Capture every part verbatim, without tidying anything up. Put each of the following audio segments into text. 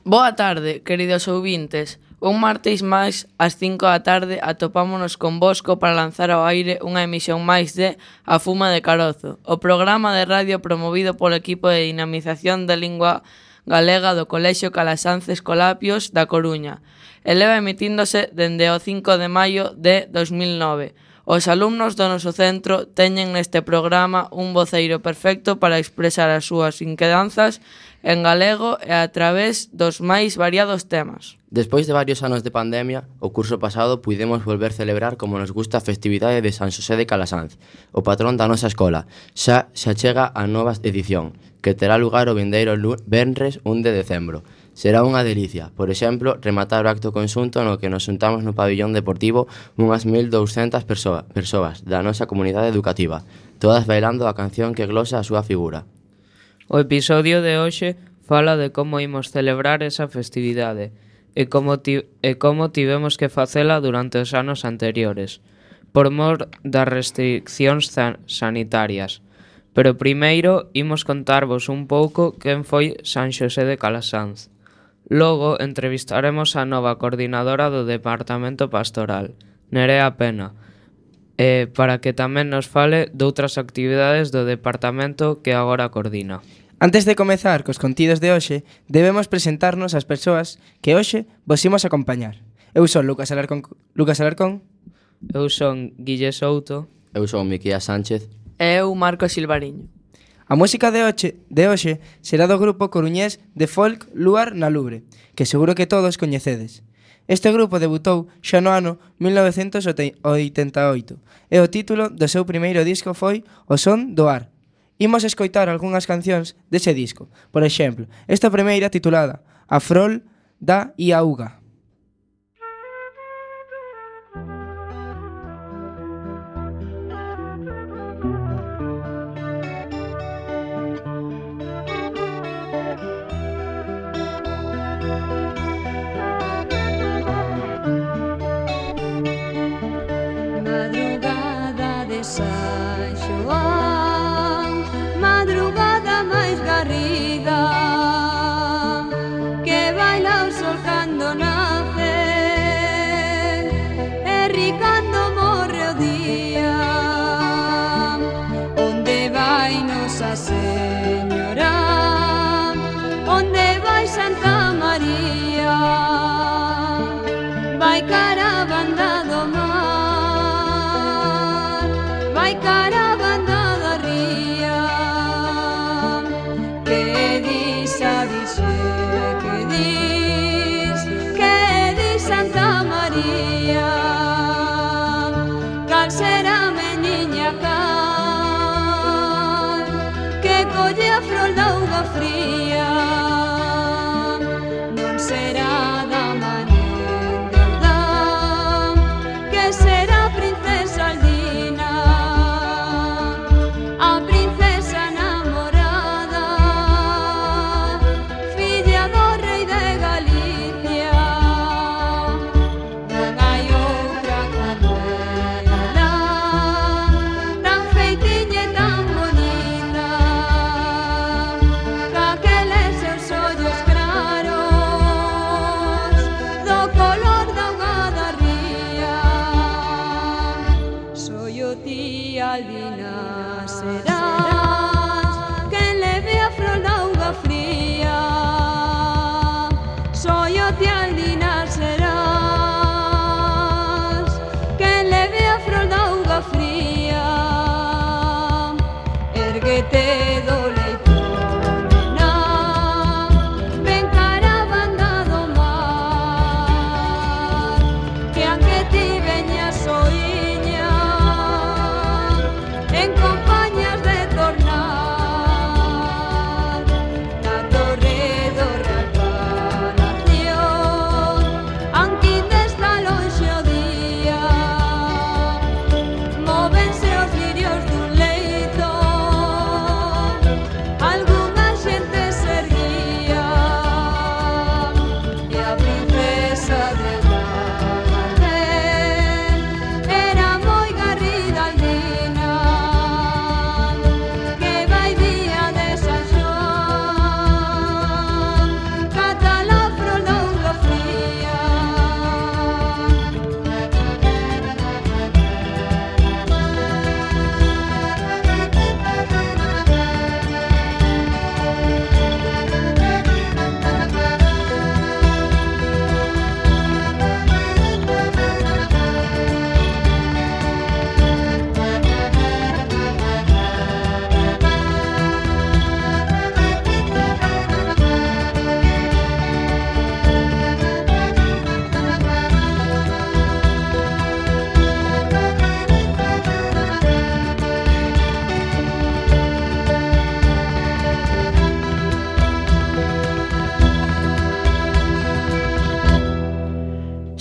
Boa tarde, queridos ouvintes. Un martes máis, ás cinco da tarde, atopámonos con Bosco para lanzar ao aire unha emisión máis de A Fuma de Carozo, o programa de radio promovido polo equipo de dinamización da lingua galega do Colexio Calasanz Escolapios da Coruña. E leva emitíndose dende o cinco de maio de dos mil nove. Os alumnos do noso centro teñen neste programa un voceiro perfecto para expresar as súas inquedanzas en galego e a través dos máis variados temas. Despois de varios anos de pandemia, o curso pasado puidemos volver celebrar como nos gusta a festividade de San Xosé de Calasanz, o patrón da nosa escola. Xa se achega a nova edición, que terá lugar o vindeiro venres un de decembro. Será unha delicia, por exemplo, rematar o acto conxunto no que nos xuntamos no pabillón deportivo unhas mil douscentas persoas, persoas da nosa comunidade educativa, todas bailando a canción que glosa a súa figura. O episodio de hoxe fala de como imos celebrar esa festividade e como, ti, e como tivemos que facela durante os anos anteriores, por mor das restriccións san, sanitarias. Pero primeiro imos contarvos un pouco quen foi San Xosé de Calasanz. Logo entrevistaremos a nova coordinadora do Departamento Pastoral, Nerea Pena, e para que tamén nos fale doutras actividades do departamento que agora coordina. Antes de comezar cos contidos de hoxe, debemos presentarnos as persoas que hoxe vos imos acompañar. Eu son Lucas Alarcón. Lucas Alarcón. Eu son Guille Souto. Eu son Miquía Sánchez. E eu, Marcos Silvariño. A música de hoxe, de hoxe será do grupo coruñés de folk Luar na Lubre, que seguro que todos coñecedes. Este grupo debutou xa no ano mil novecentos oitenta e oito e o título do seu primeiro disco foi O Son do Ar. Imos escoitar algunhas cancións dese disco. Por exemplo, esta primeira titulada A Frol da Iauga.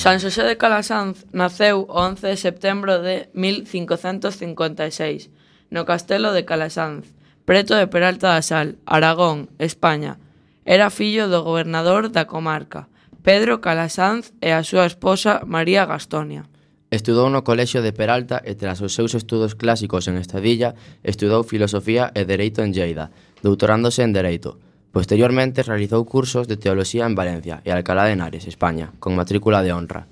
San Xosé de Calasanz naceu o once de setembro de mil cincocentos cincuenta e seis no castelo de Calasanz, preto de Peralta da Sal, Aragón, España. Era fillo do gobernador da comarca, Pedro Calasanz, e a súa esposa María Gastonia. Estudou no colexio de Peralta e tras os seus estudos clásicos en Estadilla, estudou filosofía e dereito en Lleida, doutorándose en dereito. Posteriormente realizou cursos de teoloxía en Valencia e Alcalá de Henares, España, con matrícula de honra.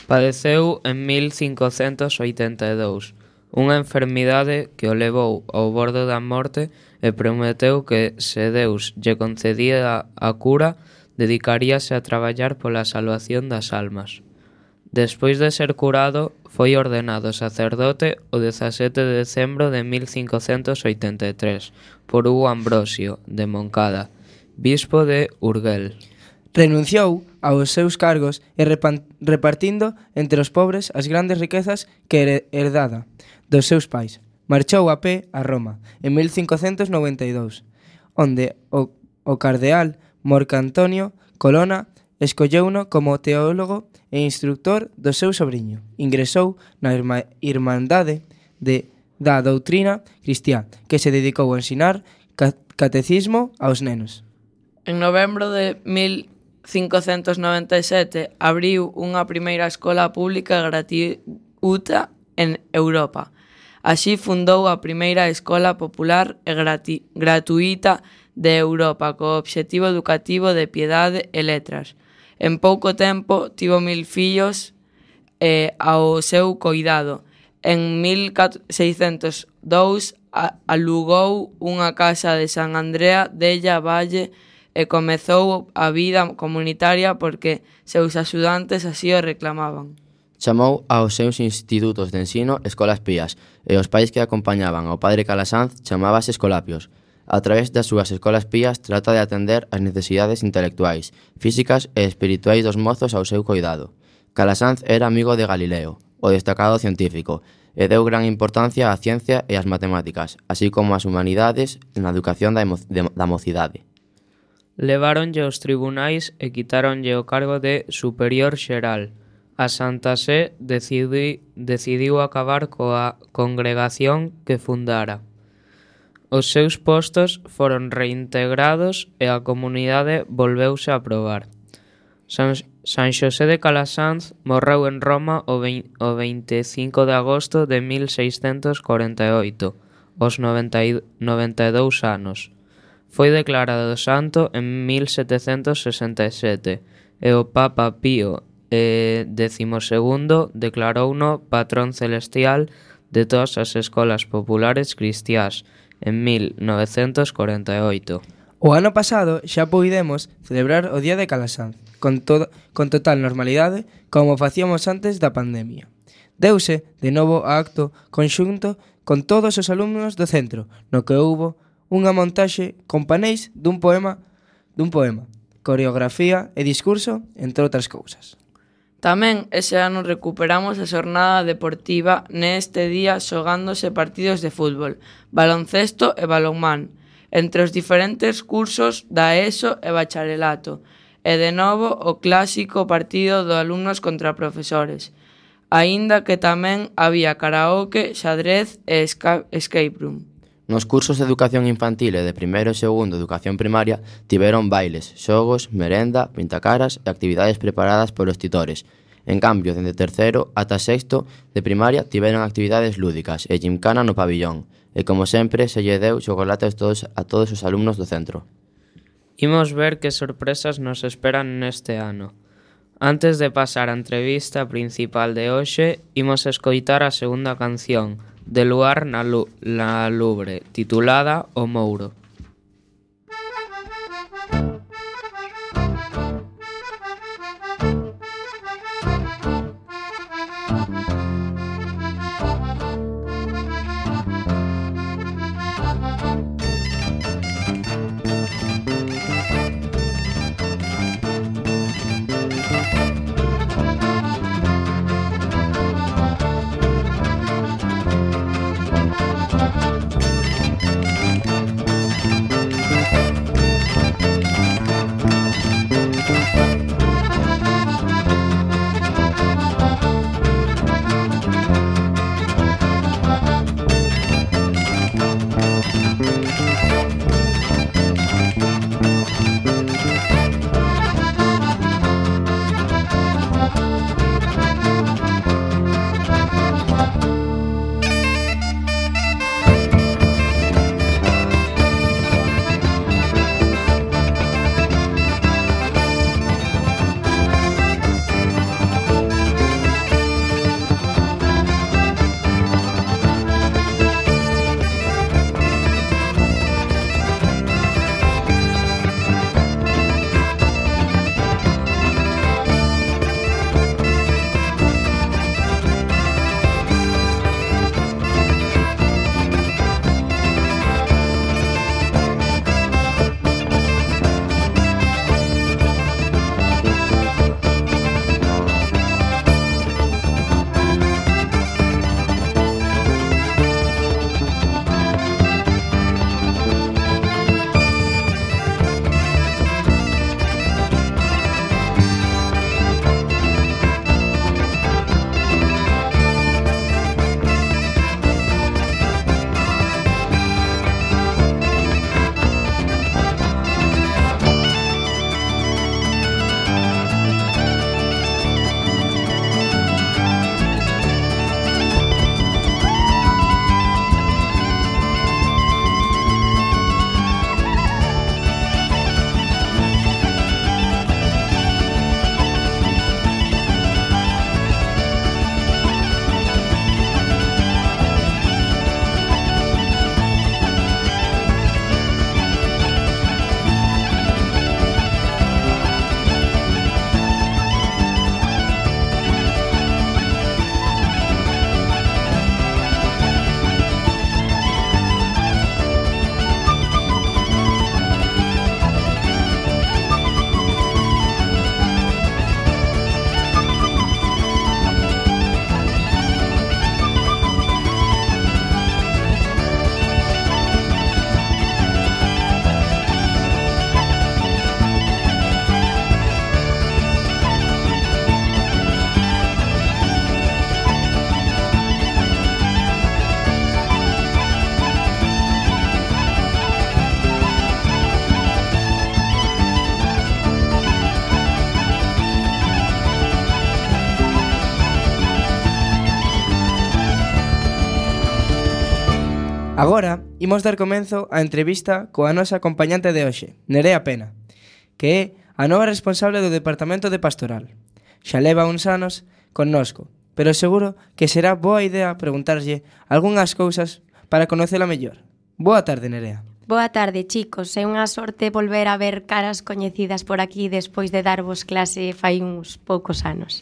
Padeceu en mil cincocentos oitenta e dous unha enfermidade que o levou ao borde da morte e prometeu que, se Deus lle concedía a cura, dedicaríase a traballar pola salvación das almas. Despois de ser curado, foi ordenado sacerdote o dezasete de decembro de mil cincocentos oitenta e tres por Hugo Ambrosio, de Moncada, bispo de Urgel. Renunciou aos seus cargos e repan- repartindo entre os pobres as grandes riquezas que her- herdada dos seus pais. Marchou a pé a Roma en mil cincocentos noventa e dous, onde o, o cardeal Marcantonio Colonna escolleuno como teólogo e instructor do seu sobriño. Ingresou na irma- Irmandade de, da doutrina cristiá, que se dedicou a ensinar ca- catecismo aos nenos. En novembro de mil cincocentos noventa e sete abriu unha primeira escola pública gratuita en Europa. Así fundou a primeira escola popular e grati- gratuita de Europa co obxectivo educativo de piedade e letras. En pouco tempo tivo mil fillos eh, ao seu coidado. En mil seiscentos dous a- alugou unha casa de San Andrea della Valle e comezou a vida comunitaria porque seus axudantes así o reclamaban. Chamou aos seus institutos de ensino escolas pías e os pais que acompañaban ao padre Calasanz chamábase escolapios. A través das súas escolas pías trata de atender as necesidades intelectuais, físicas e espirituais dos mozos ao seu coidado. Calasanz era amigo de Galileo, o destacado científico, e deu gran importancia á ciencia e ás matemáticas, así como ás humanidades na educación da, emo- de, da mocidade. Leváronlle aos tribunais e quitáronlle o cargo de superior xeral. A Santa Sé decidi, decidiu acabar coa congregación que fundara. Os seus postos foron reintegrados e a comunidade volveuse a aprobar. San, San Xosé de Calasanz morreu en Roma o, vein, o vinte e cinco de agosto de mil seiscentos corenta e oito, aos noventa e dous anos. Foi declarado santo en mil setecentos sesenta e sete e o Papa Pío eh, décimo segundo declarouno patrón celestial de todas as escolas populares cristiás en mil novecentos corenta e oito. O ano pasado xa puidemos celebrar o Día de Calasanz con, todo, con total normalidade como facíamos antes da pandemia. Deuse de novo a acto conxunto con todos os alumnos do centro, no que houbo unha montaxe con paneis dun poema, dun poema, coreografía e discurso, entre outras cousas. Tamén ese ano recuperamos a xornada deportiva neste día xogándose partidos de fútbol, baloncesto e balonmán entre os diferentes cursos da ESO e bacharelato e de novo o clásico partido de alumnos contra profesores, aínda que tamén había karaoke, xadrez e esca- escape room. Nos cursos de educación infantil e de primeiro e segundo educación primaria tiveron bailes, xogos, merenda, pintacaras e actividades preparadas polos titores. En cambio, dende terceiro ata sexto de primaria tiveron actividades lúdicas e gimcana no pabillón. E como sempre, se lle deu chocolate a todos, a todos os alumnos do centro. Imos ver que sorpresas nos esperan neste ano. Antes de pasar á entrevista principal de hoxe, imos escoitar a segunda canción, de Luar na, Lu- na Lubre, titulada O Mouro. Agora, imos dar comenzo á entrevista coa nosa acompañante de hoxe, Nerea Pena, que é a nova responsable do Departamento de Pastoral. Xa leva uns anos connosco, pero seguro que será boa idea preguntarlle algunhas cousas para conocela mellor. Boa tarde, Nerea. Boa tarde, chicos. É unha sorte volver a ver caras coñecidas por aquí despois de darvos clase fai uns poucos anos.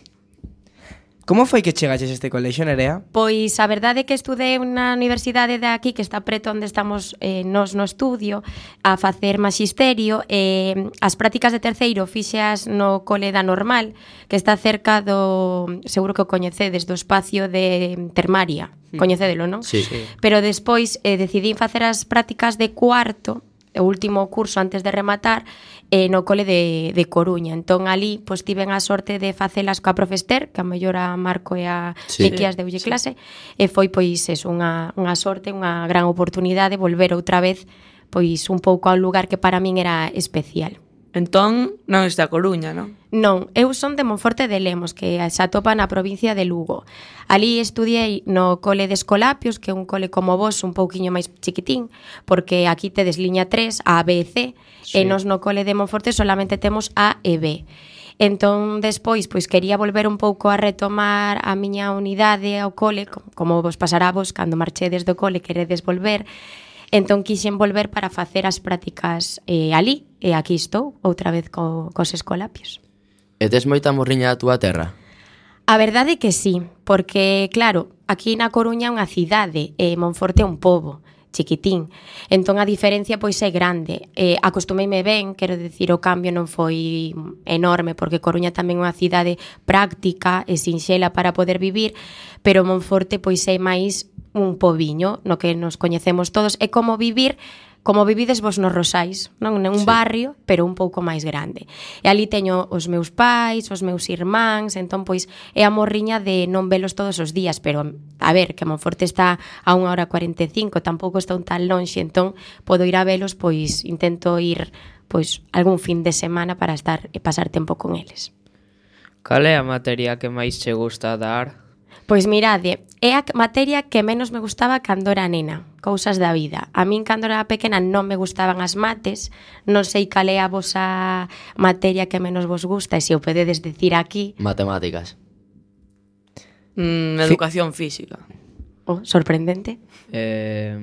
Como foi que chegaches a este colexio, Nerea? Pois a verdade é que estudei na universidade de aquí, que está preto onde estamos eh, nos no estudio, a facer maxisterio. E eh, as prácticas de terceiro fixeas no cole da Normal, que está cerca do, seguro que o coñecedes, do espacio de Termaria. Coñecedelo, non? Sí. Sí. Pero despois eh, decidín facer as prácticas de cuarto, o último curso antes de rematar, eh, no cole de, de Coruña. Entón, ali, pois, tiven a sorte de facelas coa profester, que a mellor a Marco e a Sí. Miquías deulle clase, e foi, pois, eso, unha, unha sorte, unha gran oportunidade volver outra vez, pois, un pouco ao lugar que para min era especial. Entón, non está a Coruña, non? Non, eu son de Monforte de Lemos, que se atopa na provincia de Lugo. Ali estudiei no cole de Escolapios, que é un cole como vos, un pouquiño máis chiquitín, porque aquí tedes liña tres, A, B e C, Sí. e nos no cole de Monforte solamente temos A e B. Entón, despois, pois quería volver un pouco a retomar a miña unidade ao cole, co- como vos pasará vos cando marchedes do cole, queredes volver. Entón, quixen volver para facer as prácticas eh, ali, e aquí estou, outra vez co, cos Escolapios. E tes moita morriña da túa terra? A verdade é que sí, porque, claro, aquí na Coruña é unha cidade e Monforte é un pobo chiquitín. Entón a diferencia pois é grande. Eh, acostumeime ben, quero dicir, o cambio non foi enorme, porque Coruña tamén é unha cidade práctica e sinxela para poder vivir, pero Monforte pois é máis un pobiño no que nos coñecemos todos. É como vivir como vivides vos nos Rosais, non? Un Sí. barrio, pero un pouco máis grande. E ali teño os meus pais, os meus irmáns, entón, pois, é a morriña de non velos todos os días, pero, a ver, que Monforte está a unha hora cuarenta e cinco, tampouco está un tan lonxe, entón, podo ir a velos, pois, intento ir, pois, algún fin de semana para estar e pasar tempo con eles. Cal é a materia que máis che gusta dar? Pois mirade, é a materia que menos me gustaba cando era nena, cousas da vida. A min cando era pequena non me gustaban as mates, non sei cal é a vosa materia que menos vos gusta, e se o podedes decir aquí, Matemáticas. Mm, educación física. oh, sorprendente, Eh,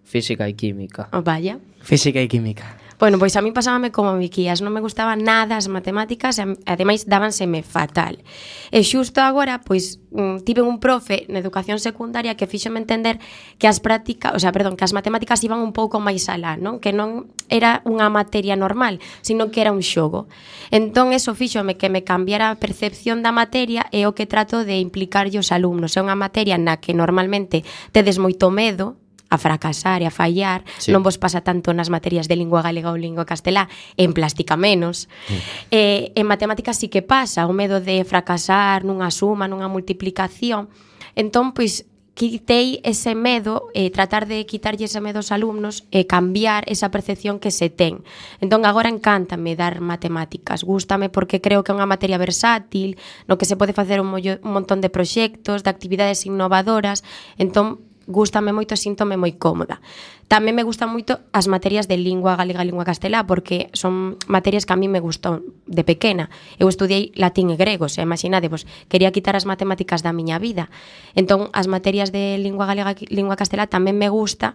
física e química. oh, vaya. Física e química. Bueno, pois a mí pasábame como Miquías, non me gustaban nada as matemáticas e ademais dábanseme fatal. E xusto agora, pois, mm, tive un profe na educación secundaria que fíxome entender que as prácticas, o sea, perdón, que as matemáticas iban un pouco máis alá, non? Que non era unha materia normal, sino que era un xogo. Entón, eso fíxome que me cambiara a percepción da materia e o que trato de implicarlle os alumnos. É unha materia na que normalmente tedes moito medo a fracasar e a fallar, Sí. non vos pasa tanto nas materias de lingua galega ou lingua castelá, en plástica menos. Mm. Eh, en matemáticas sí que pasa, o medo de fracasar nunha suma, nunha multiplicación. Entón, pois, quitei ese medo, eh, tratar de quitarlle ese medo aos alumnos e cambiar esa percepción que se ten. Entón, agora encántame dar matemáticas, gústame porque creo que é unha materia versátil, no que se pode facer un, mollo, un montón de proxectos, de actividades innovadoras. Entón, gústame moito, síntome moi cómoda. Tamén me gustan moito as materias de lingua galega e lingua castelá, porque son materias que a mí me gustou de pequena. Eu estudiei latín e grego, se imaginadevos, quería quitar as matemáticas da miña vida. Entón, as materias de lingua galega e lingua castelá tamén me gusta,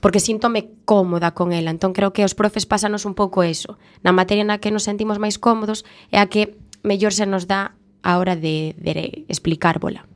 porque síntome cómoda con ela. Entón, creo que os profes pásanos un pouco eso. Na materia na que nos sentimos máis cómodos é a que mellor se nos dá a hora de, de explicárbola.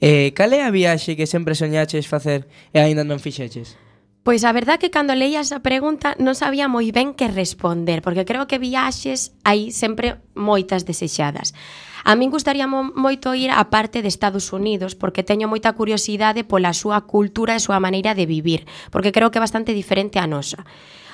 Eh, cal é a viaxe que sempre soñaches facer e aínda non fixeches? Pois a verdad que cando leía esa pregunta non sabía moi ben que responder, porque creo que viaxes hai sempre moitas desexadas. A min gustaría mo- moito ir á parte de Estados Unidos, porque teño moita curiosidade pola súa cultura e súa maneira de vivir, porque creo que é bastante diferente á nosa.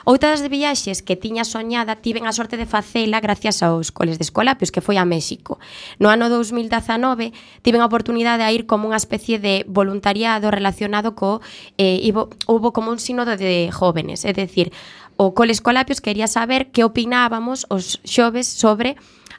Outras de viaxes que tiña soñada tiven a sorte de facela gracias aos coles de Escolapios, que foi a México. No ano dous mil dezanove tiven a oportunidade de ir como unha especie de voluntariado relacionado co eh, ibo, hubo como un sínodo de jóvenes, é dicir, o cole Escolapios quería saber que opinábamos os xoves sobre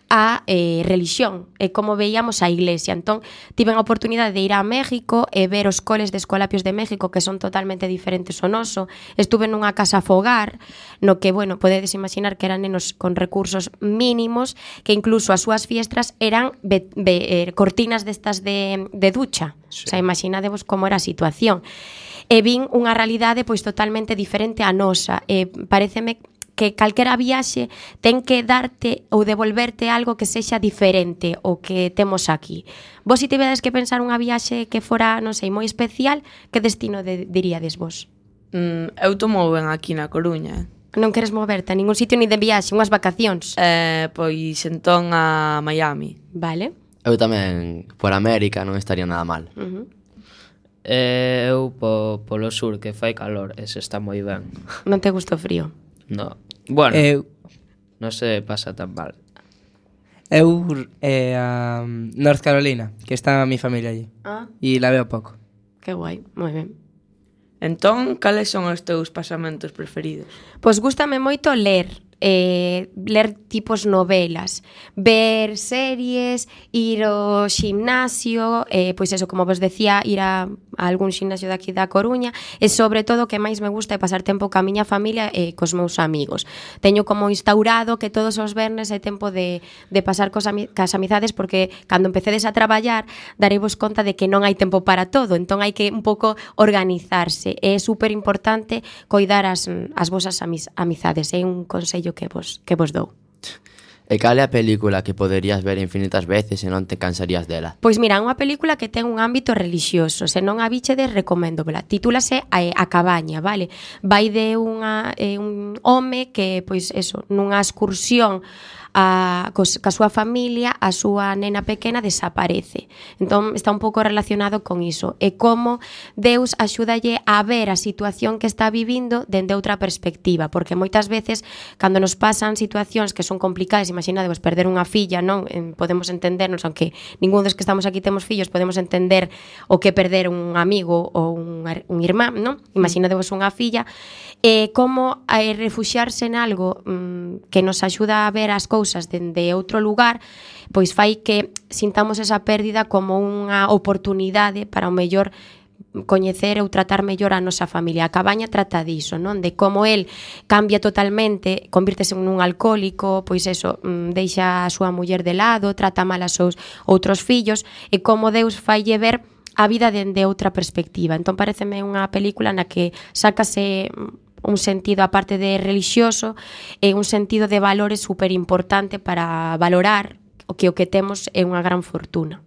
a eh, religión e como veíamos a iglesia. Entón, tiven a oportunidade de ir a México e ver os coles de Escolapios de México que son totalmente diferentes ao noso. Estuve nunha casa fogar no que, bueno, podedes imaginar que eran nenos con recursos mínimos, que incluso as súas fiestras eran be, be, eh, cortinas destas de, de ducha. Sí. O sea, imaginadevos como era a situación. E vin unha realidade pois totalmente diferente á nosa. E paréceme que calquera viaxe ten que darte ou devolverte algo que sexa diferente ao que temos aquí. Vos, se tivedes que pensar unha viaxe que fora, non sei, moi especial, que destino de, diríades vos? Mm, eu tomo ben aquí na Coruña. Non queres moverte a ningún sitio ni de viaxe, unhas vacacións? Eh, pois entón a Miami. Vale. Eu tamén, por América, non estaría nada mal. Uh-huh. Eh, eu po, polo sur, que fai calor, ese está moi ben. Non te gusta o frío? No. Bueno, Eu, non se pasa tan mal. eu eh, a North Carolina, que está a mi familia allí. Ah, E la veo pouco. que guai, moi ben. Entón, cales son os teus pasamentos preferidos? Pois gústame moito ler, eh, ler tipos novelas, ver series, ir ao ximnasio, eh, pois eso, como vos decía, ir a, a algún ximnasio daqui da Coruña, e sobre todo o que máis me gusta é pasar tempo ca miña familia e cos meus amigos. Teño como instaurado que todos os vernes é tempo de, de pasar cos ami, cas amizades, porque cando empecedes a traballar dareivos conta de que non hai tempo para todo, entón hai que un pouco organizarse. É super importante coidar as, as vosas amiz, amizades, é un consello que vos, que vos dou. E cal é a película que poderías ver infinitas veces e non te cansarías dela? Pois mira, unha película que ten un ámbito religioso, se non a bichedes, recoméndomela. Titúlase a, a Cabaña, vale? Vai de unha, eh, un home que, pois eso, nunha excursión a, cos, ca súa familia, a súa nena pequena desaparece. Entón está un pouco relacionado con iso. E como Deus axúdalle a ver a situación que está vivindo dende outra perspectiva, porque moitas veces cando nos pasan situacións que son complicadas, imaginadevos perder unha filla, non? Podemos entendernos, aunque ningún dos que estamos aquí temos fillos, podemos entender o que perder un amigo ou un, un irmán, non? Imaginadevos unha filla, e como eh, refuxiarse en algo mm, que nos axuda a ver as cousas dende outro lugar, pois fai que sintamos esa pérdida como unha oportunidade para o mellor coñecer ou tratar mellor a nosa familia. A Cabaña trata diso, non? De como el cambia totalmente, convírtese en un alcohólico, pois eso, deixa a súa muller de lado, trata mal a seus outros fillos, e como Deus faille ver a vida dende outra perspectiva. Entón pareceme unha película na que sácase un sentido, aparte de religioso, e un sentido de valores super importante para valorar o que o que temos é unha gran fortuna.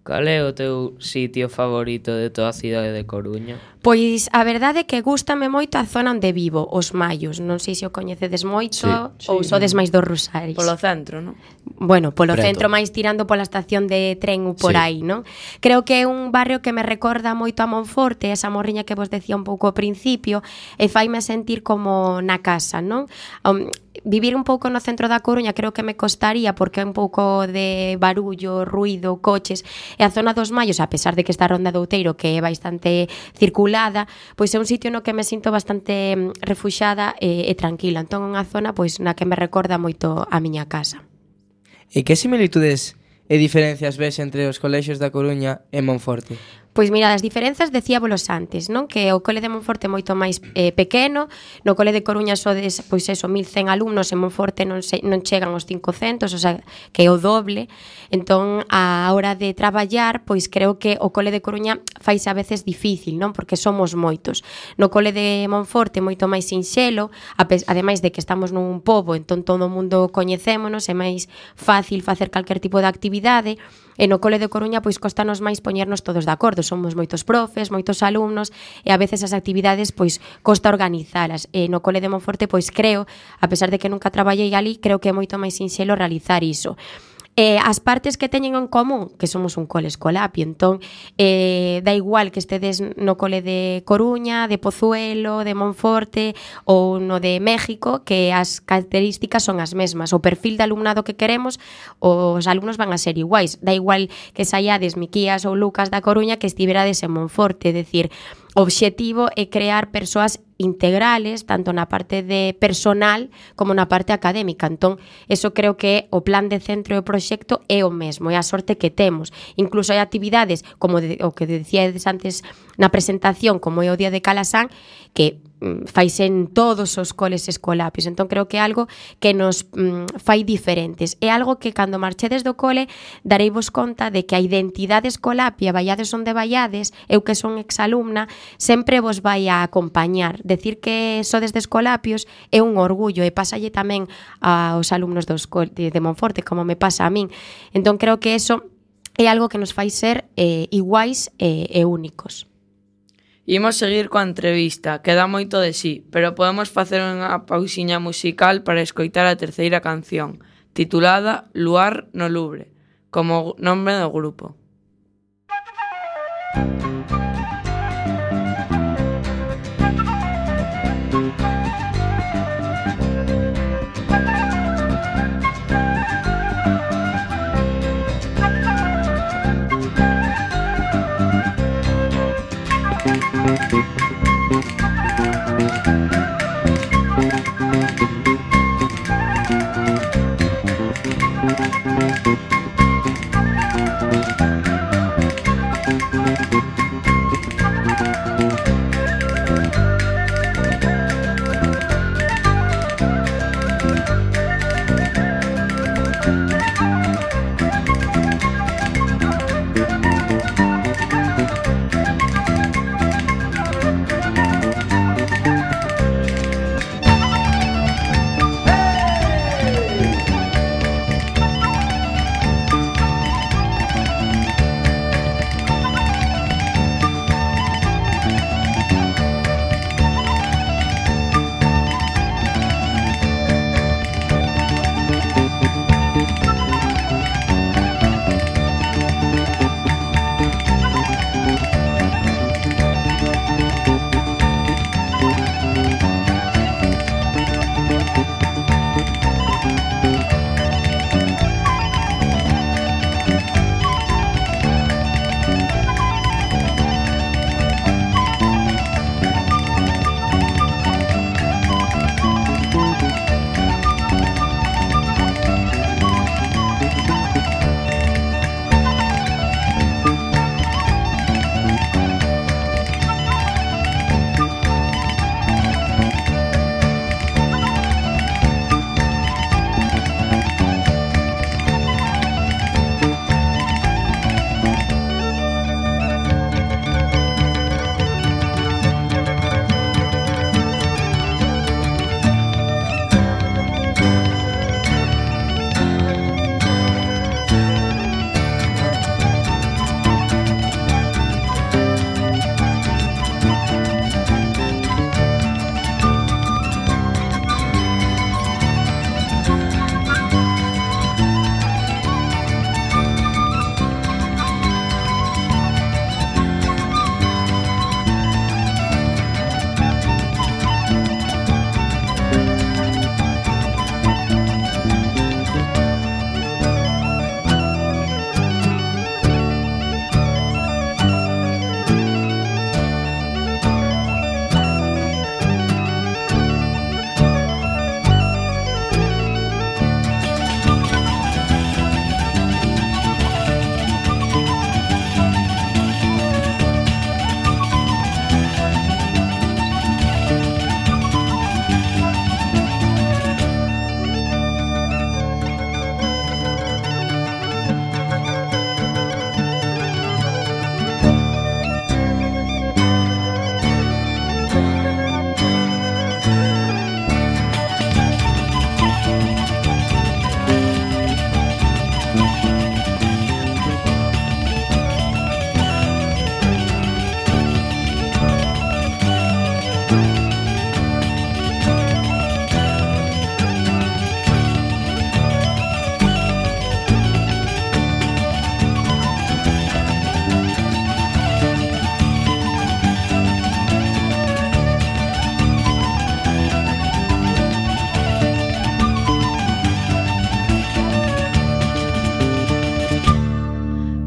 Cal é o teu sitio favorito de toda a cidade de Coruña? Pois a verdade é que gústame moito a zona onde vivo, os Mallos. Non sei se o coñecedes moito, Sí, ou sí. sodes máis dos Rosaris. Polo centro, non? Bueno, polo Preto. centro, máis tirando pola estación de tren ou por Sí. aí, non? Creo que é un barrio que me recorda moito a Monforte, esa morriña que vos decía un pouco ao principio, e faime sentir como na casa, non? Um, vivir un pouco no centro da Coruña creo que me costaría, porque é un pouco de barullo, ruido, coches, e a zona dos Mallos, a pesar de que está a Ronda do Outeiro, que é bastante circulada, pois é un sitio no que me sinto bastante mm, refuxada e, e tranquila. Entón é unha zona pois na que me recorda moito a miña casa. E que similitudes e diferencias ves entre os colexios da Coruña e Monforte? Pois mira, as diferenzas decíabolos antes, non? Que o cole de Monforte é moito máis eh, pequeno, no cole de Coruña sodes, pois eso, mil cen alumnos, en Monforte non, se, non chegan aos cincocentos, o sea, que é o doble. Entón, a hora de traballar, pois creo que o cole de Coruña faise a veces difícil, non? Porque somos moitos. No cole de Monforte moito máis sinxelo, ademais de que estamos nun pobo, entón todo o mundo coñecémonos, é máis fácil facer calquer tipo de actividade. E no cole de Coruña pois costanos máis poñernos todos de acordo, somos moitos profes, moitos alumnos, e a veces as actividades pois costa organizalas. E no cole de Monforte pois creo, a pesar de que nunca traballei ali, creo que é moito máis sinxelo realizar iso. Eh, as partes que teñen en común, que somos un cole escolapio, entón eh, da igual que estedes no cole de Coruña, de Pozuelo, de Monforte ou no de México, que as características son as mesmas. O perfil de alumnado que queremos, os alumnos van a ser iguais. Da igual que saiades Miquías ou Lucas da Coruña que estiverades en Monforte, é dicir, o obxectivo é crear persoas integrales, tanto na parte de personal como na parte académica. Entón, eso creo que o plan de centro e o proxecto é o mesmo, é a sorte que temos. Incluso hai actividades, como de, o que decíades antes na presentación, como é o Día de Calasán, que mm, faise en todos os coles escolapios. Entón, creo que é algo que nos mm, fai diferentes. É algo que, cando marchedes do cole, dareivos conta de que a identidade escolapia, vaiades onde vaiades, eu que son exalumna, sempre vos vai a acompañar. Decir que sodes de Escolapios é un orgullo e pásalle tamén aos alumnos dos de, de Monforte, como me pasa a min. Entón creo que eso é algo que nos fai ser eh, iguais e, e únicos. Imos seguir coa entrevista, que dá moito de sí, pero podemos facer unha pausiña musical para escoitar a terceira canción, titulada Luar no Lubre, como nome do grupo.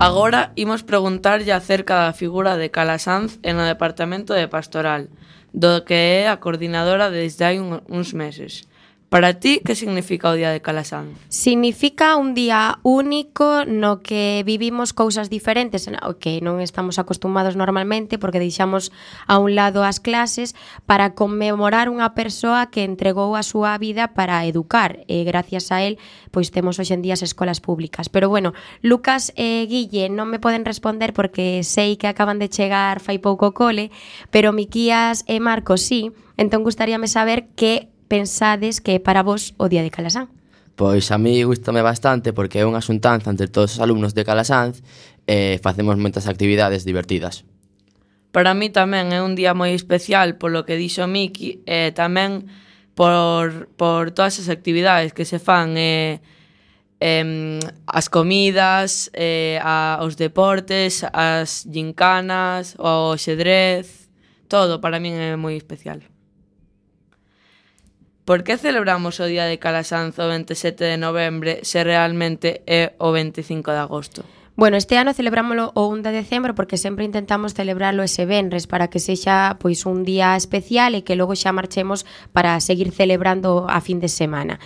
Agora imos preguntarlle acerca da figura de Calasanz en o Departamento de Pastoral. do que é a coordinadora desde hai un, uns meses. Para ti, que significa o Día de Calasanz? Significa un día único no que vivimos cousas diferentes ao que non estamos acostumados normalmente porque deixamos a un lado as clases para conmemorar unha persoa que entregou a súa vida para educar e gracias a él pois temos hoxe en día as escolas públicas. Pero bueno, Lucas e Guille non me poden responder porque sei que acaban de chegar fai pouco cole, pero Miquías e Marcos sí, entón gustaríame saber que pensades que é para vos o Día de Calasanz? Pois a mí gustame bastante porque é unha xuntanza entre todos os alumnos de Calasanz e facemos moitas actividades divertidas. Para mí tamén é un día moi especial polo que dixo Miki e tamén por, por todas as actividades que se fan e, e as comidas, e, a, os deportes, as gincanas, o xedrez, todo para min é moi especial. Por que celebramos o Día de Calasanz o veintisiete de novembro se realmente é o veinticinco de agosto? Bueno, este ano celebrámoslo o un de decembro porque sempre intentamos celebrarlo ese venres para que sexa pois un día especial e que logo xa marchemos para seguir celebrando a fin de semana.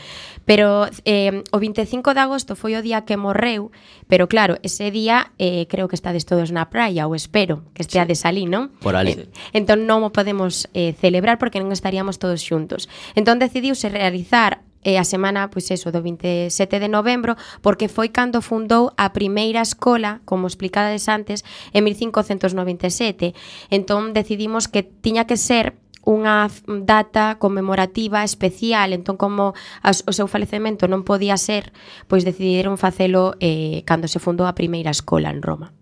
Pero eh, o veinticinco de agosto foi o día que morreu, pero claro, ese día eh, creo que estades todos na praia, ou espero que esteades ali, non? Por ali. Eh, entón non o podemos eh, celebrar porque non estaríamos todos xuntos. Entón decidiuse realizar e a semana, pois eso, do veintisiete de novembro, porque foi cando fundou a primeira escola, como explicades antes, en mil cincocentos noventa e sete. Entón decidimos que tiña que ser unha data conmemorativa especial, entón como as, o seu falecemento non podía ser, pois decidiron facelo eh, cando se fundou a primeira escola en Roma.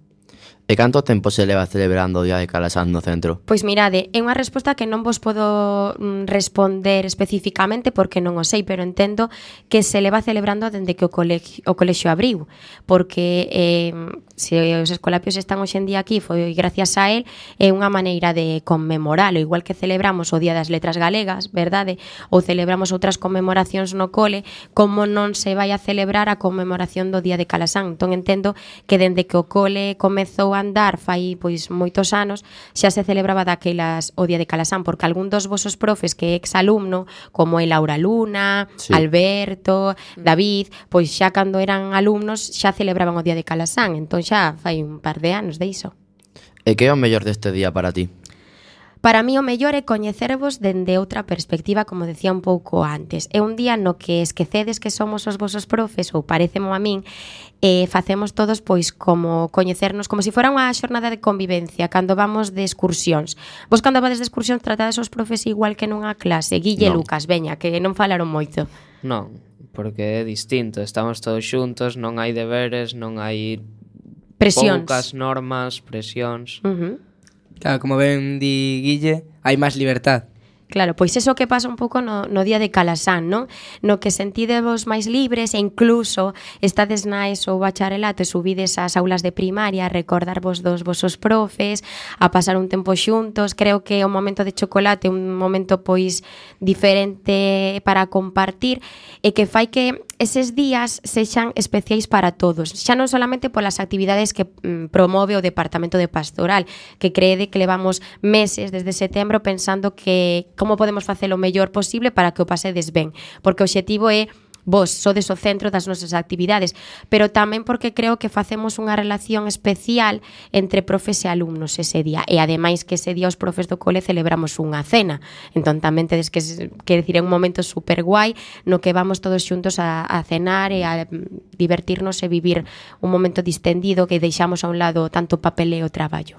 E canto tempo se leva celebrando o Día de Calasanz no centro? Pois mirade, é unha resposta que non vos podo responder especificamente porque non o sei, pero entendo que se leva celebrando dende que o colexio, o colexio abriu, porque eh, se os escolapios están hoxe en día aquí foi gracias a él, é unha maneira de conmemoralo, igual que celebramos o Día das Letras Galegas, verdade? Ou celebramos outras conmemoracións no cole, como non se vai a celebrar a conmemoración do Día de Calasanz. Entón entendo que dende que o cole comezou a andar fai pois moitos anos, xa se celebraba daquelas o Día de Calasanz, porque algún dos vosos profes que é exalumno, como é Laura Luna, sí. Alberto, David, pois xa cando eran alumnos xa celebraban o Día de Calasanz, entón xa fai un par de anos de iso. E que é o mellor deste día para ti? Para mí o mellor é coñecervos dende outra perspectiva, como decía un pouco antes. É un día no que esquecedes que somos os vosos profes, ou parecemo a min, e facemos todos pois como coñecernos, como se si fora unha xornada de convivencia, cando vamos de excursións. Vos cando vades de excursións tratades os profes igual que nunha clase? Guille e No. Lucas, veña, que non falaron moito. Non, porque é distinto, estamos todos xuntos, non hai deberes, non hai Presións. poucas normas, presións. Uh-huh. Claro, como ben di Guille, hai máis libertad. Claro, pois eso que pasa un pouco no, no Día de Calasanz, non? No que sentidevos máis libres e incluso estades na ESO ou bacharelato e subides ás aulas de primaria a recordarvos dos vosos profes, a pasar un tempo xuntos. Creo que o momento de chocolate é un momento pois diferente para compartir e que fai que eses días sexan especiais para todos, xa non solamente polas actividades que mm, promove o Departamento de Pastoral, que crede que levamos meses desde setembro pensando que como podemos facelo o mellor posible para que o pasedes ben, porque o obxectivo é vos sodes o centro das nosas actividades, pero tamén porque creo que facemos unha relación especial entre profes e alumnos ese día, e ademais que ese día os profes do cole celebramos unha cena, entón tamén tedes que, que decir, é un momento super guai no que vamos todos xuntos a, a cenar e a divertirnos e vivir un momento distendido que deixamos a un lado tanto papeleo e traballo.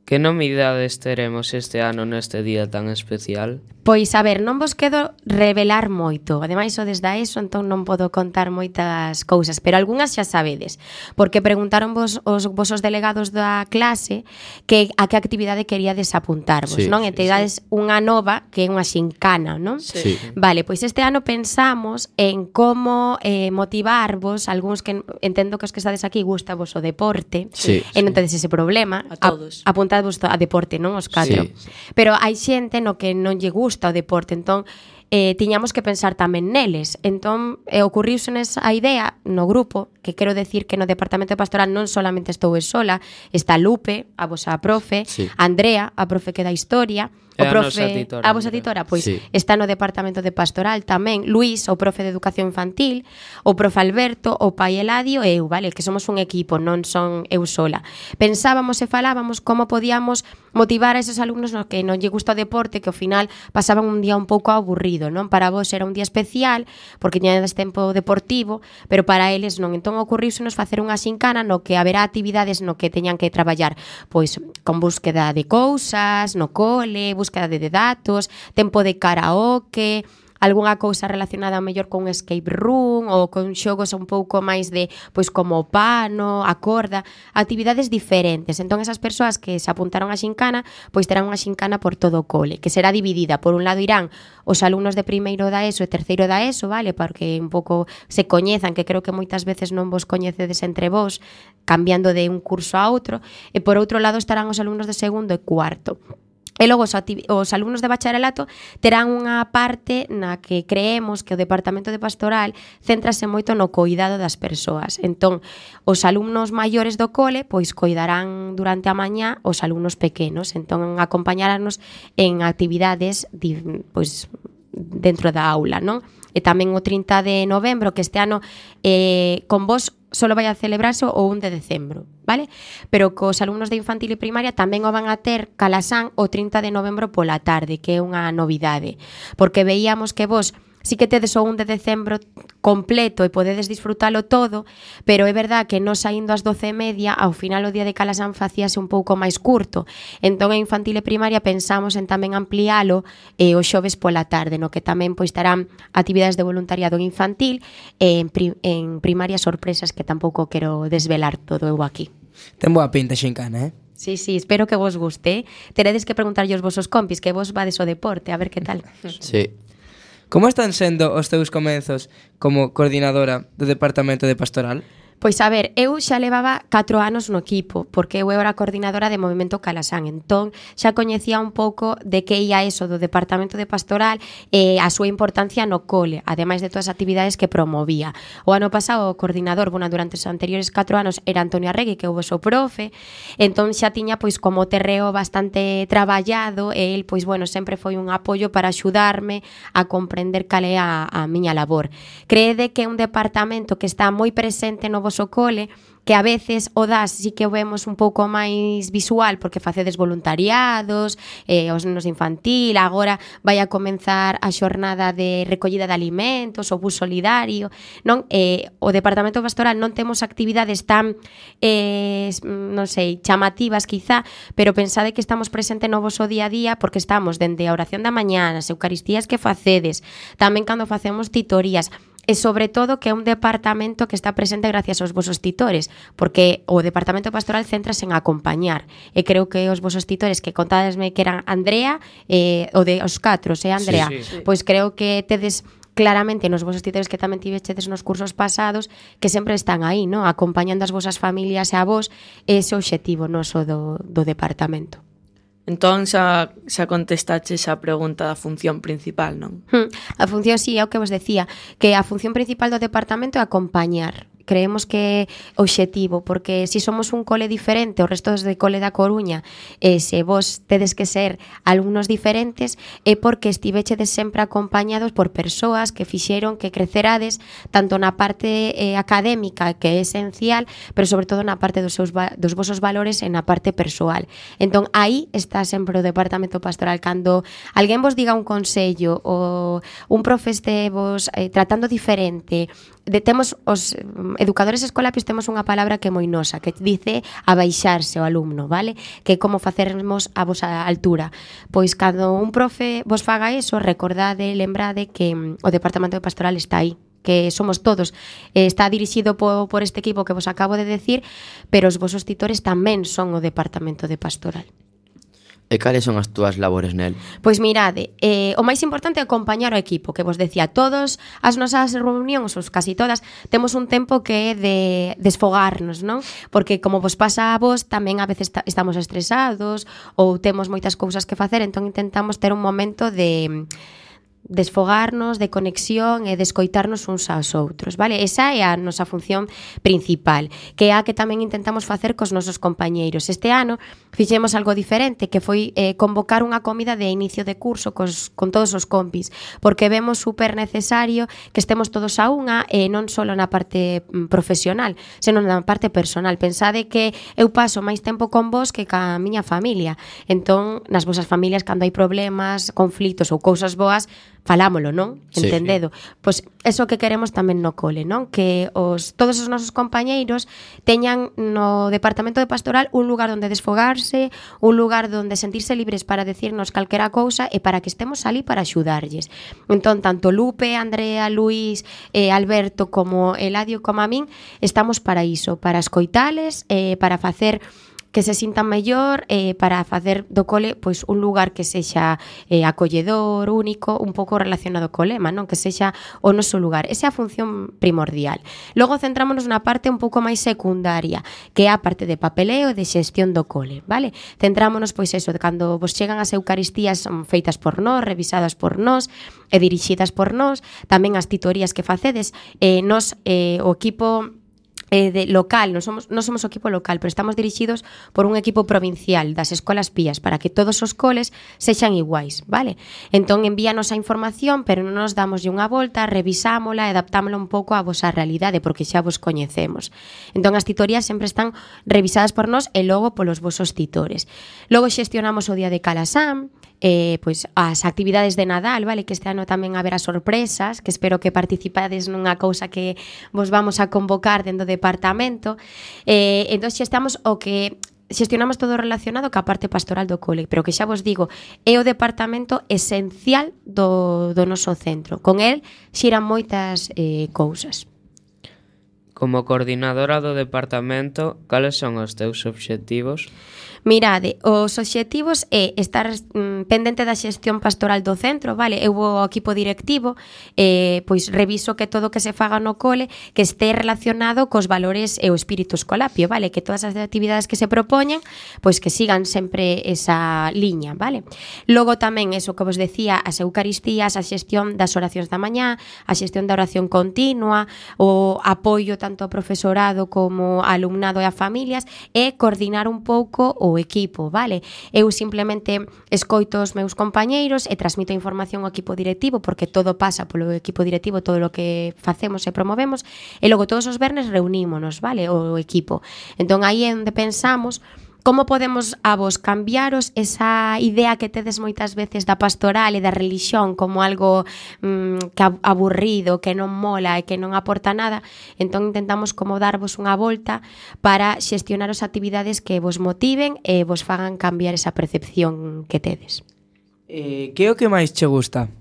Que novidades teremos este ano neste día tan especial? Pois, a ver, non vos quedo revelar moito. Ademais, o desde a eso, entón non podo contar moitas cousas, pero algunhas xa sabedes, porque preguntaron vos os vosos delegados da clase que a que actividade queríades apuntarvos, Sí, non? sí, E te dades unha nova, que é unha xincana, non? Sí. Vale, pois este ano pensamos en como eh, motivarvos, algúns que entendo que os que estades aquí gusta vos o deporte, Sí, e non tedes ese problema. A todos. A, apuntadvos a deporte, non? Os catro. Sí. Pero hai xente no que non lle gusta o deporte, entón eh, tiñamos que pensar tamén neles. Entón, eh, ocurriusenes a idea no grupo, que quero decir que no Departamento de Pastoral non solamente estou eu sola, está Lupe, a vosa profe, Sí. Andrea, a profe que dá historia, E o a profe, nosa titora, a vosa Andrea. titora, pois Sí. está no Departamento de Pastoral tamén, Luís, o profe de Educación Infantil, o profe Alberto, o pai Eladio e eu, vale, que somos un equipo, non son eu sola. Pensábamos e falábamos como podíamos motivar a esos alumnos no que non lle gusta o deporte, que ao final pasaban un día un pouco aburrido, non? Para vos era un día especial, porque tiñades tempo deportivo, pero para eles non. Entón ocorriusenos facer unha xincana no que haberá actividades no que teñan que traballar, pois con búsqueda de cousas, no cole, búsqueda de datos, tempo de karaoke, algunha cousa relacionada mellor con escape room ou con xogos un pouco máis de, pois como o pano, a corda, actividades diferentes. Entón esas persoas que se apuntaron a xincana, pois terán unha xincana por todo o cole, que será dividida. Por un lado irán os alumnos de primeiro da ESO e terceiro da ESO, vale, porque un pouco se coñezan, que creo que moitas veces non vos coñecedes entre vos, cambiando de un curso a outro, e por outro lado estarán os alumnos de segundo e cuarto. E logo os, os alumnos de bacharelato terán unha parte na que creemos que o Departamento de Pastoral céntrase moito no cuidado das persoas. Entón, os alumnos maiores do cole pois coidarán durante a mañá os alumnos pequenos. Entón, acompañarnos en actividades pois dentro da aula, non? E tamén o trinta de novembro, que este ano eh, con vos solo vai a celebrarse o un de decembro, vale? Pero cos alumnos de infantil e primaria tamén o van a ter Calasán o trinta de novembro pola tarde, que é unha novidade, porque veíamos que vos sí que tedes o un de decembro completo e podedes disfrutalo todo, pero é verdad que non saindo ás doce e media, ao final o día de Calasán facíase un pouco máis curto. Entón, en infantil e primaria pensamos en tamén ampliálo eh, o xoves pola tarde, no que tamén pois estarán actividades de voluntariado en infantil e en, pri en primaria sorpresas que tampouco quero desvelar todo eu aquí. Ten boa pinta xincana, eh? Sí, sí, espero que vos guste. Teredes que preguntarlle aos vosos compis que vos vades o deporte, a ver que tal. Sí. Como están sendo os teus comenzos como coordinadora do Departamento de Pastoral? Pois a ver, eu xa levaba catro anos no equipo, porque eu era coordinadora de Movimento Calasán, entón xa coñecía un pouco de que ia eso do Departamento de Pastoral e a súa importancia no cole, ademais de todas as actividades que promovía. O ano pasado o coordinador, bueno, durante os anteriores catro anos era Antonio Arregui, que houve o seu profe, entón xa tiña pois como terreo bastante traballado e el, pois bueno, sempre foi un apoio para axudarme a comprender cal é a, a miña labor. Creede que é un departamento que está moi presente no voso cole, que a veces o das sí que o vemos un pouco máis visual porque facedes voluntariados, eh, os nenos infantil, agora vai a comenzar a xornada de recollida de alimentos, o bus solidario, non? Eh, o Departamento Pastoral non temos actividades tan, eh, non sei, chamativas quizá, pero pensade que estamos presente no voso día a día porque estamos dende a oración da mañá, as eucaristías que facedes, tamén cando facemos titorías, e sobre todo que é un departamento que está presente gracias aos vosos titores, porque o Departamento Pastoral centrase en acompañar, e creo que os vosos titores que contadesme que eran Andrea, eh, o de os catros, eh, Andrea, Sí, sí. pois creo que tedes claramente nos vosos titores que tamén tivechedes nos cursos pasados que sempre están aí, no? Acompañando as vosas familias e a vos, ese obxectivo noso do, do departamento. Entón xa, xa contestache esa pregunta da función principal, non? Hmm. A función, sí, é o que vos decía, que a función principal do departamento é acompañar. Creemos que é obxectivo, porque se si somos un cole diferente, o resto de cole da Coruña, e se vos tedes que ser alumnos diferentes, é porque estivechedes sempre acompañados por persoas que fixeron que crecerades tanto na parte eh, académica, que é esencial, pero sobre todo na parte dos, seus dos vosos valores e na parte persoal. Entón, aí está sempre o Departamento Pastoral. Cando alguén vos diga un consello ou un profe este vos eh, tratando diferente, de, temos os educadores escolapios temos unha palabra que é moi nosa, que dice abaixarse o alumno, vale? Que é como facermos a vosa altura. Pois cando un profe vos faga eso, recordade, lembrade que mm, o Departamento de Pastoral está aí, que somos todos, eh, está dirixido po, por este equipo que vos acabo de decir, pero os vosos titores tamén son o Departamento de Pastoral. E cales son as túas labores nel? Pois mirade, eh, o máis importante é acompañar o equipo, que vos decía, todos as nosas reunións, ou casi todas, temos un tempo que é de desfogarnos, non? Porque como vos pasa a vos, tamén a veces estamos estresados ou temos moitas cousas que facer, entón intentamos ter un momento de desfogarnos, de conexión e de escoitarnos uns aos outros, vale? Esa é a nosa función principal, que é a que tamén intentamos facer cos nosos compañeiros. Este ano fixemos algo diferente, que foi eh, convocar unha comida de inicio de curso cos, con todos os compis, porque vemos super necesario que estemos todos a unha, e non só na parte profesional, senón na parte personal. Pensade que eu paso máis tempo con vos que ca miña familia. Entón, nas vosas familias, cando hai problemas, conflitos ou cousas boas, falámolo, non? Sí, Entendedo? Sí. Pois eso que queremos tamén no cole, non? Que os todos os nosos compañeiros teñan no departamento de pastoral un lugar onde desfogarse, un lugar onde sentirse libres para decirnos calquera cousa e para que estemos ali para axudarlles. Entón, tanto Lupe, Andrea, Luís, eh, Alberto como Eladio como a min, estamos para iso, para escoitales, eh, para facer que se sintan mellor, eh, para facer do cole pois un lugar que sexa eh, acolledor, único, un pouco relacionado co lema, non? Que sexa o noso lugar. Esa é a función primordial. Logo centrámonos na parte un pouco máis secundaria, que é a parte de papeleo e de xestión do cole, vale? Centrámonos pois eso, de cando vos chegan as eucaristías son feitas por nós, revisadas por nós e dirixidas por nós, tamén as titorías que facedes, eh, nos, eh, o equipo eh, de local, non somos, non somos o equipo local, pero estamos dirixidos por un equipo provincial das escolas pías para que todos os coles sexan iguais, vale? Entón envíanos a información, pero non nos damos unha volta, revisámola e adaptámola un pouco á vosa realidade, porque xa vos coñecemos. Entón as titorías sempre están revisadas por nós e logo polos vosos titores. Logo xestionamos o día de Calasán, eh, pois as actividades de Nadal, vale, que este ano tamén haberá sorpresas, que espero que participades nunha cousa que vos vamos a convocar dentro do departamento. Eh, entón xa estamos o que xestionamos todo relacionado ca parte pastoral do cole, pero que xa vos digo, é o departamento esencial do, do noso centro. Con el xiran moitas eh, cousas. Como coordinadora do departamento, cales son os teus obxectivos? Mirade, os obxectivos é estar mm, pendente da xestión pastoral do centro, vale? Eu vou ao equipo directivo, eh, pois reviso que todo o que se faga no cole que este relacionado cos valores e o espírito escolapio, vale? Que todas as actividades que se propoñen, pois que sigan sempre esa liña, vale? Logo tamén, eso que vos decía, as eucaristías, a xestión das oracións da mañá, a xestión da oración continua, o apoio tanto ao profesorado como ao alumnado e a familias, e coordinar un pouco o equipo, vale? Eu simplemente escoito os meus compañeiros e transmito a información ao equipo directivo, porque todo pasa polo equipo directivo, todo o que facemos e promovemos, e logo todos os vernes reunímonos, vale? O equipo. Entón aí é onde pensamos como podemos a vos cambiaros esa idea que tedes moitas veces da pastoral e da religión como algo mm, que aburrido, que non mola e que non aporta nada. Entón intentamos como darvos unha volta para xestionar as actividades que vos motiven e vos fagan cambiar esa percepción que tedes. Eh, que é o que máis che gusta?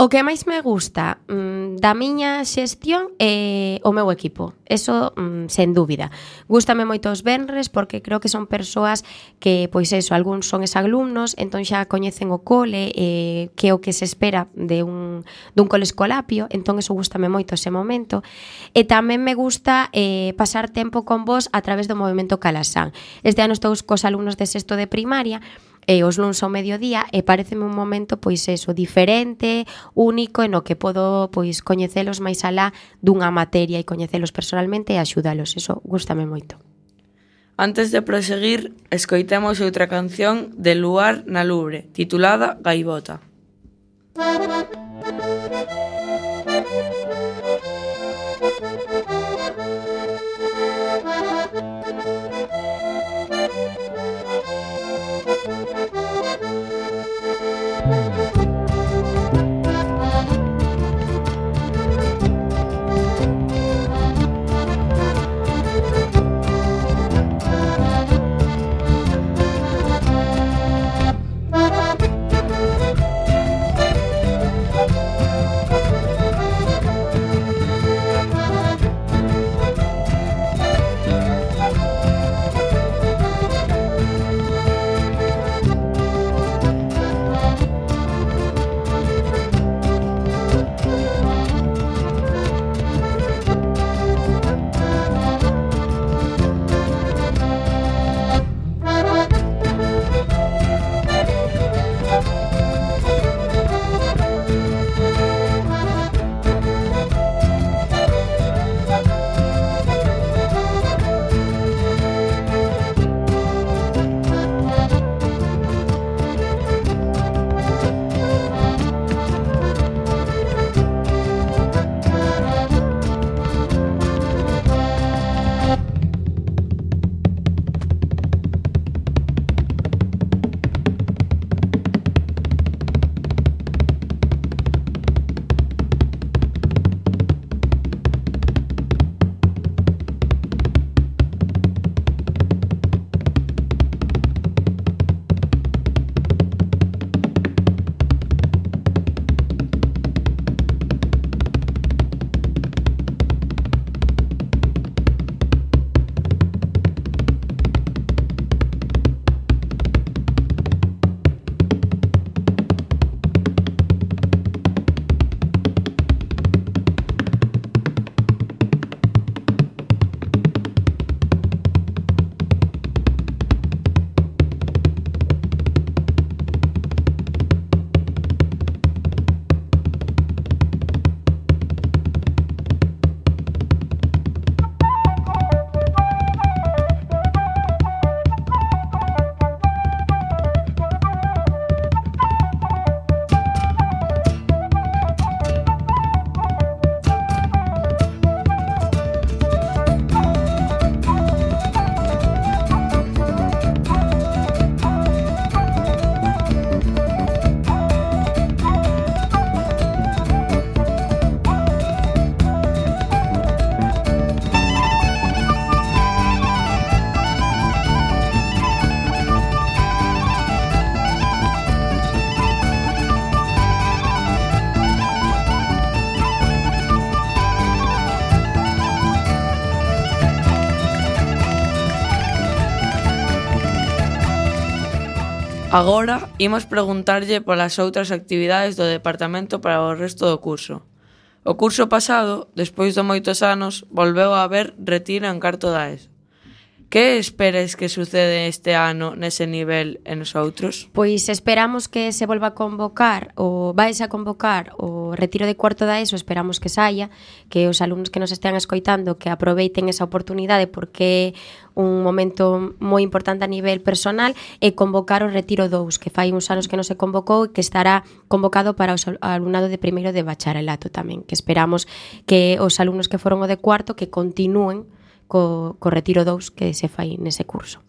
O que máis me gusta mm, da miña xestión é o meu equipo. Eso, mm, sen dúbida. Gústame moito os venres porque creo que son persoas que, pois eso, algúns son exalumnos, entón xa coñecen o cole, eh, que é o que se espera de un, dun cole escolapio, entón eso gústame moito ese momento. E tamén me gusta eh, pasar tempo con vos a través do movimento Calasán. Este ano estou cos alumnos de sexto de primaria, e os luns ao mediodía, e pareceme un momento pois eso, diferente, único, en o que podo pois coñecelos máis alá dunha materia e coñecelos personalmente e axudalos. Eso gústame moito. Antes de proseguir, escoitemos outra canción de Luar na Lubre, titulada Gaivota. Agora imos preguntarlle polas outras actividades do departamento para o resto do curso. O curso pasado, despois de moitos anos, volveu a haber retiro en cuarto da ESO. Que esperes que sucede este ano nese nivel e nos outros? Pois esperamos que se volva a convocar ou vais a convocar o retiro de cuarto da ESO, esperamos que saia, que os alumnos que nos estean escoitando que aproveiten esa oportunidade porque é un momento moi importante a nivel personal e convocar o retiro dous, que fai uns anos que non se convocou e que estará convocado para o alumnado de primeiro de bacharelato tamén, que esperamos que os alumnos que foron o de cuarto que continúen co, co retiro dous que se fai nese curso.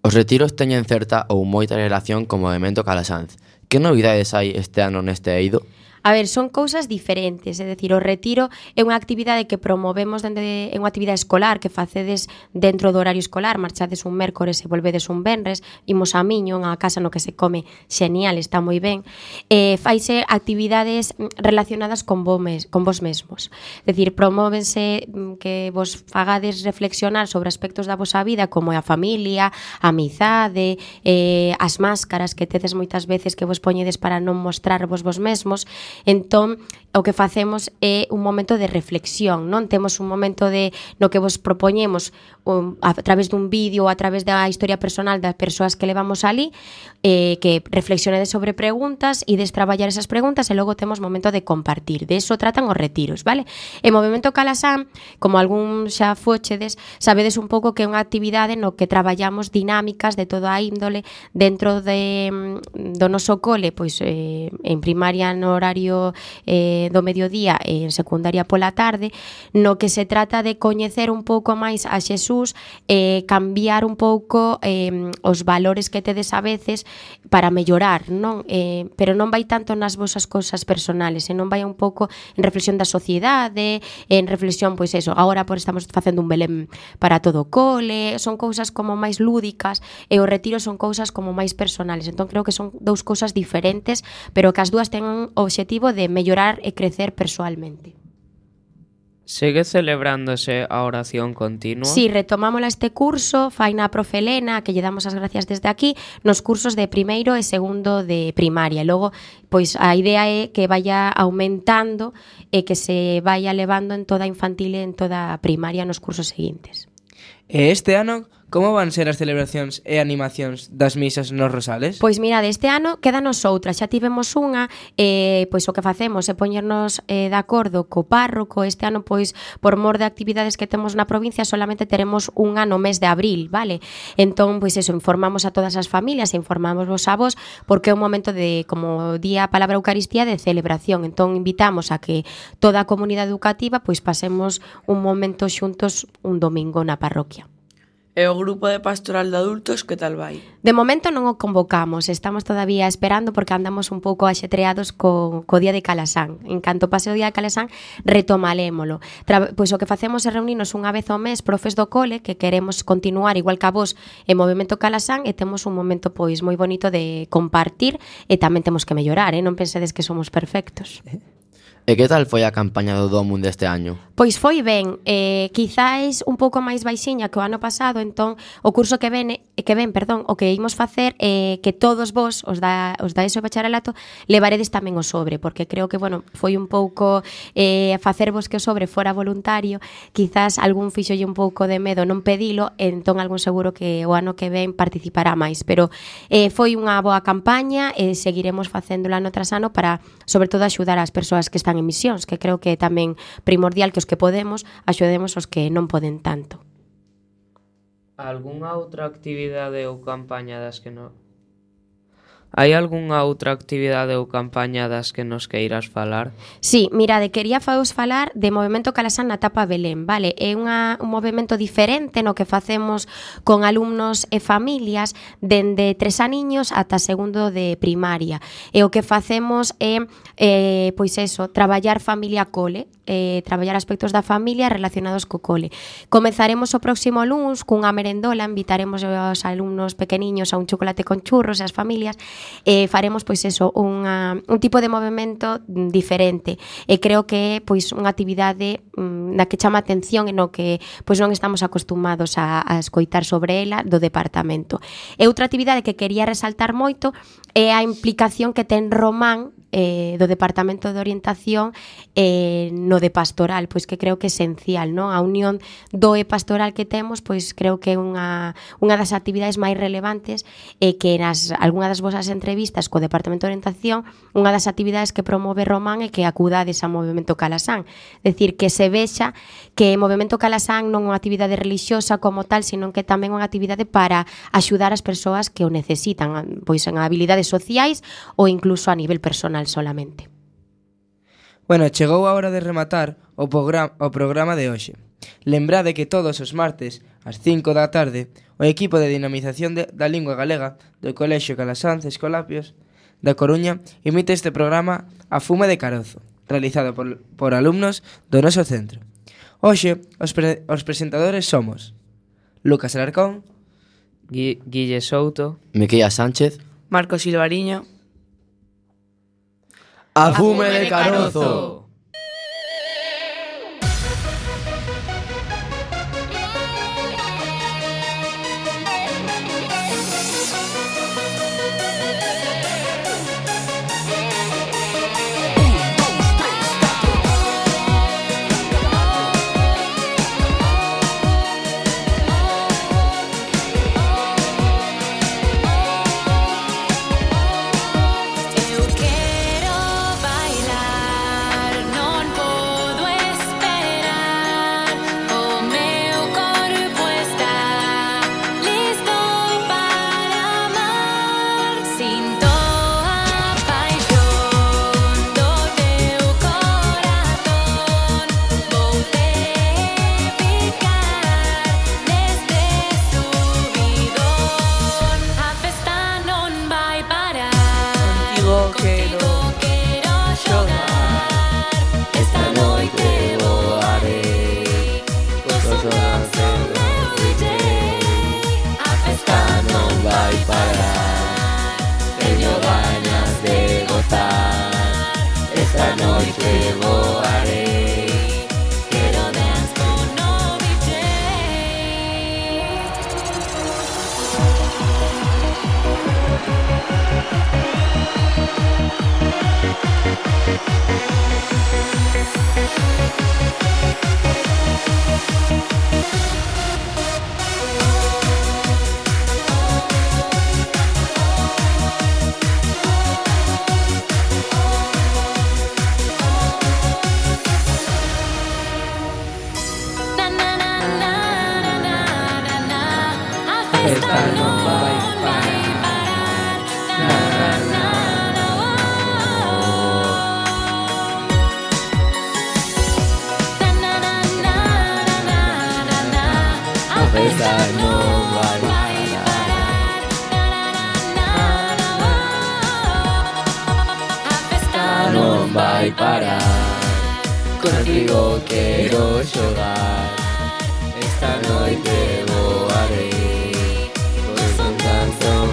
Os retiros teñen certa ou moita relación co movemento Calasanz. Que novidades hai este ano neste eido? A ver, son cousas diferentes, é dicir, o retiro é unha actividade que promovemos dende, é unha actividade escolar que facedes dentro do horario escolar, marchades un mércores e volvedes un venres, imos a Miño, unha casa no que se come xenial, está moi ben, e faise actividades relacionadas con vos, mes, con vos mesmos, é dicir, promóvense que vos fagades reflexionar sobre aspectos da vosa vida como é a familia, a amizade, eh, as máscaras que tedes moitas veces que vos poñedes para non mostrarvos vos mesmos. Entón, o que facemos é un momento de reflexión, non? Temos un momento de no que vos propoñemos um, a través dun vídeo ou a través da historia personal das persoas que levamos ali, eh, que reflexionedes sobre preguntas e des traballar esas preguntas e logo temos momento de compartir. De eso tratan os retiros, vale? E Movemento Calasán, como algún xa fochedes, sabedes un pouco que é unha actividade no que traballamos dinámicas de toda a índole dentro de, do noso cole, pois eh, en primaria no horario eh, do mediodía e en secundaria pola tarde, no que se trata de coñecer un pouco máis a Xesús e eh, cambiar un pouco eh, os valores que tedes a veces para mellorar, non? Eh, pero non vai tanto nas vosas cousas personales, e non vai un pouco en reflexión da sociedade, en reflexión, pois eso, agora por estamos facendo un Belén para todo o cole, son cousas como máis lúdicas e os retiros son cousas como máis personales, entón creo que son dous cousas diferentes, pero que as dúas ten o obxectivo de mellorar e crecer persoalmente. Segue celebrándose a oración continua? Si, sí, retomámola este curso, faina a profe Elena, que lle damos as gracias desde aquí, nos cursos de primeiro e segundo de primaria. Logo, pois a idea é que vaya aumentando e que se vaya levando en toda a infantil e en toda a primaria nos cursos seguintes. E este ano, como van ser as celebracións e animacións das misas nos Rosales? Pois mirade, este ano quédanos outra, xa tivemos unha, eh, pois o que facemos é poñernos eh, de acordo co párroco. Este ano, pois, por mor de actividades que temos na provincia, solamente teremos unha no mes de abril, vale? Entón, pois eso, informamos a todas as familias, informamos vos a vos, porque é un momento de, como día a palabra Eucaristía, de celebración. Entón, invitamos a que toda a comunidade educativa, pois, pasemos un momento xuntos un domingo na parroquia. E o grupo de pastoral de adultos, que tal vai? De momento non o convocamos, estamos todavía esperando porque andamos un pouco axetreados co, co día de Calasán. En canto pase o día de Calasán, retomalémolo. Tra, pois o que facemos é reunirnos unha vez ao mes profes do cole que queremos continuar igual que a vos en Movemento Calasán e temos un momento pois moi bonito de compartir e tamén temos que mellorar, eh? Non pensedes que somos perfectos. E que tal foi a campaña do Domum deste año? Pois foi ben, eh, quizáis un pouco máis baixiña que o ano pasado, entón o curso que ven, que ven, perdón, o que imos facer é eh, que todos vos, os da, os da ESO e bacharelato, levaredes tamén o sobre, porque creo que, bueno, foi un pouco eh, facervos que o sobre fora voluntario, quizás algún fixolle un pouco de medo non pedilo, entón algún seguro que o ano que ven participará máis, pero eh, foi unha boa campaña e seguiremos facéndola no tras ano para, sobre todo, axudar as persoas que están en misións, que creo que é tamén primordial que os que podemos axudemos os que non poden tanto. Algúnha outra actividade ou campaña das que non... Hai algunha outra actividade ou campaña das que nos queiras falar? Sí, mirade, quería vos falar de Movemento Calasán na etapa Belén, vale? É unha, un movimento diferente no que facemos con alumnos e familias dende tres aniños ata segundo de primaria. E o que facemos é, eh, pois eso, traballar familia cole, eh, traballar aspectos da familia relacionados co cole. Comezaremos o próximo luns cunha merendola, invitaremos aos alumnos pequeniños a un chocolate con churros e as familias, e faremos pois eso, unha, un tipo de movimento diferente, e creo que é pois unha actividade mm, na que chama atención e no que pois non estamos acostumados a, a escoitar sobre ela do departamento. E outra actividade que quería resaltar moito é a implicación que ten Román eh, do Departamento de Orientación eh, no de pastoral, pois que creo que é esencial, non? A unión do e pastoral que temos, pois creo que é unha, unha das actividades máis relevantes e que nas algunha das vosas entrevistas co Departamento de Orientación, unha das actividades que promove Román é que acudades ao Movemento Calasán, decir, que se vexa que o Movemento Calasán non é unha actividade religiosa como tal, sino que tamén é unha actividade para axudar as persoas que o necesitan, pois en habilidades sociais ou incluso a nivel personal solamente. Bueno, chegou a hora de rematar o, programa, o programa de hoxe. Lembrade que todos os martes, ás cinco da tarde, o equipo de dinamización de, da lingua galega do Colexio Calasanz Escolapios da Coruña emite este programa A Fume de Carozo, realizado por, por alumnos do noso centro. Hoxe, os, pre, os presentadores somos Lucas Alarcón, Gui, Guille Souto, Miquella Sánchez. Marcos Silvariño. A Fume de Carozo. Eu quero bailar, non podo esperar. O meu corpo está listo para amar. Sinto a paixón do teu corazón. Vou-te picar neste subidón. A festa non vai parar. Contigo quero quero xogar. Esta noite voarei cos ondas do meu D J. A festa non vai parar. Teño ganas de gozar. Esta noite voarei. Quero dance con o D J. Na na na na na na na na. A festa non vai parar. Na na na na. Na na na na na na na. A festa non vai parar. Na na na na na. A festa non vai parar. Contigo quero xogar.